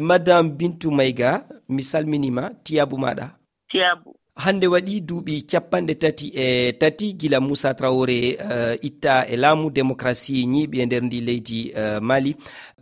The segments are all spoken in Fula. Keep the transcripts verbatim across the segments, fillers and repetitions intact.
Madame Bintu Mayga, mi salminiima, tiyaabu maaɗa. Tiyaabu. Hannde waɗi duuɓi capanɗe tati e tati gila Moussa Traoré, eh, itta e laamu, démocratie ñiiɓi e nder ndi leydi, eh, Mali.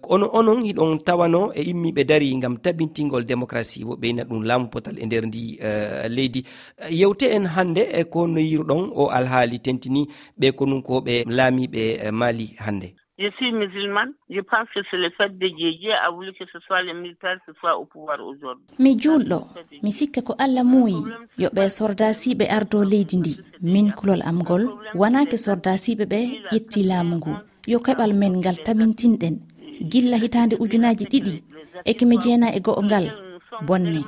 Ono onon hiɗon tawano e immiiɓe dari ngam tabintingol démocratie, wo ɓeyna ɗum laamu potal e nder ndi, eh, leydi. Eh, yewte en hannde e ko no yiruɗon o alhaali tentini ɓe konunkooɓe laamiiɓe, eh, Mali hannde. Je suis musulmane, je pense que c'est le fait de Dieu. Dieu a voulu que ce soit les militaires qui soient au pouvoir aujourd'hui. Mi juulɗo, mi sikka ko Allah muuyi yo ɓe sordaasiiɓe ardo leydi ndi. Min kulol am ngol wonaa ke sordaasiiɓe ɓe ƴetti laamu ngu. Yo keɓal men ngal tamintinɗen gilla hitaande ujunaaji ɗiɗi e keme jeenayi e go'o ngal bonne.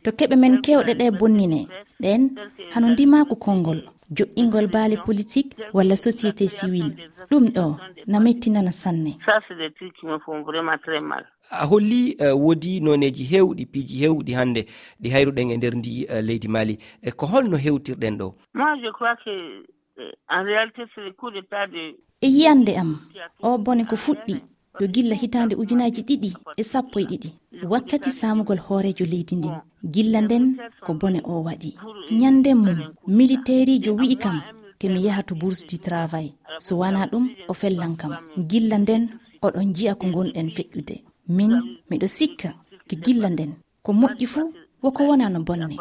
To keɓe men kewɗe ɗe bonnine ɗen hano ndimaaku konngol, joɗɗingol baale politik walla société civile. Ɗum ɗo na mettinana sanne. Ça, c'est des trucs qui me font vraiment très mal. A holli, eh, woodi nooneeji heewɗi, piiji heewɗi hannde ɗi hayruɗen e nder ndi, eh, leydi Mali. E ko holno hewtirɗen ɗo? Moi, je crois que, euh, en réalité, c'est le coup d'État de E yiyannde am, o bone ko fuɗɗi yo gilla hitaande ujunaaji ɗiɗi e sappo e ɗiɗi, wakkati saamugol hooreejo leydi ndin. Gilla nden ko bone o waɗi. Ñande mum, militeeriijo wi'i kam ke mi yaha to Bourse du Travail. So wanaa ɗum, o fellan kam. Gilla nden, oɗon ji'a ko ngonɗen feƴƴude. Min, miɗo sikka ke gilla nden, ko moƴƴi fuu, wo ko wonaa no bonne.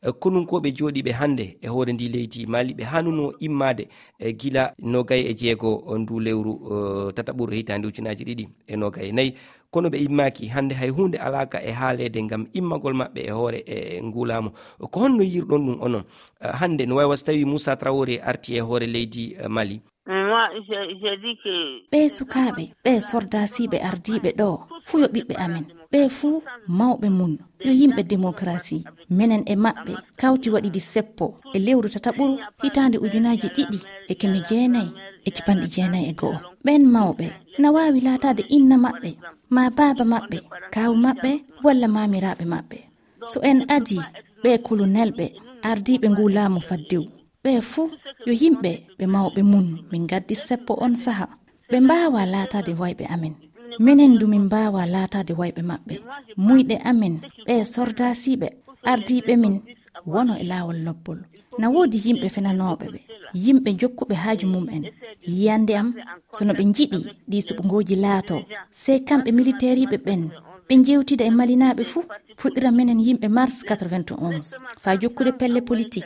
Eh, konunkooɓe jooɗiiɓe hannde e hoore ndi leydi Mali, ɓe hanuno immaade, eh, gila nogay e jeego ndu lewru, eh, tataɓuru hitaande ujunaaji ɗiɗi e nogay e nayi. Kono ɓe immaaki hannde, hay huunde alaaka e haaleede ngam immagol maɓɓe e hoore, eh, ngu laamu. Ko honno yiruɗon ɗum onon? Eh, hannde no wayi wa so tawi Moussa Traoré arti e hoore leydi, eh, Mali. Moi, j'ai, j'ai dit que ɓee sukaaɓe, ɓee sordaasiiɓe ardiiɓe ɗo, fuu yo ɓiɓɓe amen. Ɓee fuu mawɓe mun, yo yimɓe démocratie. Menen e maɓɓe kawti waɗidi seppo e lewru tataɓuru hitaande ujunaaji ɗiɗi e keme jeenayi e capanɗe jeenayi e go'o. Ɓen mawɓe na waawi laataade inna maɓɓe, maa baaba maɓɓe, kaawu maɓɓe, walla maamiraaɓe maɓɓe. So en adii ɓee kolonelɓe ardiiɓe nguu laamu faddewu, ɓee fuu yo yimɓe ɓe mawɓe mun min ngaddi seppo on saha. Ɓe mbaawaa laataade wayɓe amen. Menen du min mbaawaa laataade wayɓe maɓɓe. Muyɗe amen, ɓee sordaasiiɓe ardiiɓe min, wono e laawol lobbol. Na woodi yimɓe fenanooɓe ɓe, yimɓe jokkuɓe haaju mum en. Yiyannde am, so no ɓe njiɗi ɗii suɓngooji laatoo, sey kamɓe militeeriiɓe ɓen, ɓe njewtida e malinaaɓe fuu, fuɗɗira menen yimɓe mars quatre-vingt-onze, faa jokkude pelle politik.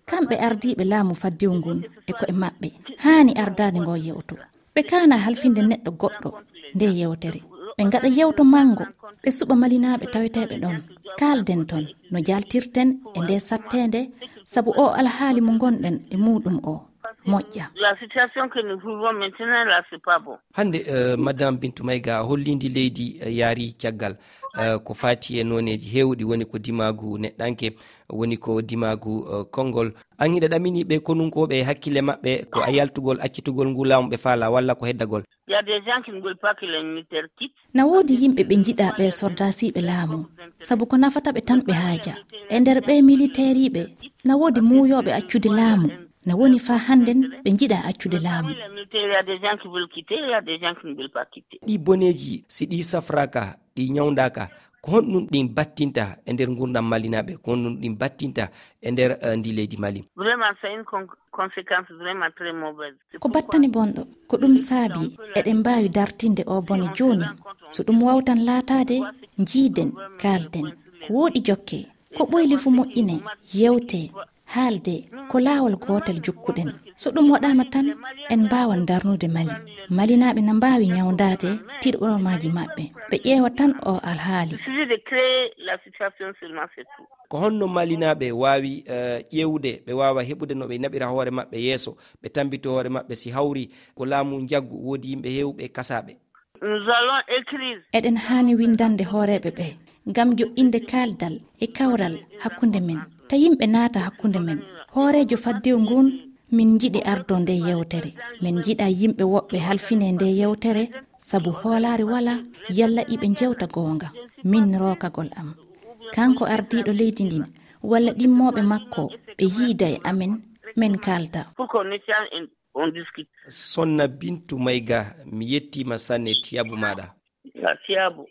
Kamɓe ardiiɓe laamu faddewu ngun e ko'e maɓɓe haani ardaade ngoo yewto. Ɓe kaana halfinde neɗɗo goɗɗo nde yewtere. Ɓe ngaɗa yewto manngo, ɓe suɓa malinaaɓe taweteeɓe ɗon. Kaalden ton no jaltirten e nde satteende, sabu o alhaali mo ngonɗen e muuɗum o moƴƴa. La situation que nous vivons maintenant là, c'est pas bon. Hannde, eh, Madame Bintu Mayga, holliindi leydi, eh, yaari caggal, eh, ko faati e nooneeji heewɗi, woni ko dimaagu neɗɗanke, woni ko dimaagu, eh, konngol. An hiɗa ɗamini ɓe konunkooɓe e hakkille maɓɓe, ko a yaltugol, accitugol ngu laamu ɓe faala, walla ko heddagol? Il y a des gens qui ne veulent pas que les militaires quittent. Na woodi yimɓe ɓe njiɗaa ɓe sordaasiiɓe laamu, sabu ko nafata ɓe tan ɓe haaja. E nder ɓe militeeriiɓe, na woodi muuyooɓe accude laamu. Na woni faa hannden ɓe njiɗaa accude laamu. Il y a des gens qui veulent quitter, il y a des gens qui ne veulent pas quitter. Ɗi boneeji, si ɗi safraaka, ɗi ñawndaaka, ko honɗum ɗin battinta e nder ngurndan malinaaɓe? Ko honɗum ɗin battinta e nder, eh, ndi leydi Mali? Vraiment, c'est une con-, conséquence vraiment très mauvaise. Ko battane bonɗo, ko ɗum saabi eɗen mbaawi dartinde o bone jooni. So ɗum wawtan laataade, njiiden, kaalden. Ko wooɗi jokke, ko ɓoyli fu moƴƴine, yewte, haalde, ko laawol gootel jokkuɗen. So ɗum waɗaama tan, en mbaawan darnude Mali. Malinaaɓe na mbaawi ñawndaade tiɗoromaaji maɓɓe. Ɓe ƴeewa tan o alhaali. Il suffit de créer la situation seulement, c'est tout. Ko honno malinaaɓe waawi, eh, ƴeewude, ɓe waawa heɓude no ɓe naɓira hoore maɓɓe yeeso, ɓe tambito hoore maɓɓe si hawri ko laamu njaggu, woodi yimɓe heewɓe kasaaɓe? Nous allons écrire. Eɗen haani winndande hooreeɓe ɓe ngam joɗɗinde kaaldal e kawral hakkunde men, ta yimɓe naata hakkunde men. Hooreejo faddewu ngun, min njiɗi ardo nde yewtere. Min njiɗa yimɓe woɓɓe halfine nde yewtere, sabu hoolaare wala yalla iɓe njewta goonga. Min rookagol am. Kanko ardiiɗo leydi ndin, walla ɗimmooɓe makko, ɓe yiida e amen, men kaalda. Pour qu'on échange, on discute. Sonna Bintu Mayga, mi yettiima sanne tiyaabu maaɗa. Ya tiyaabu.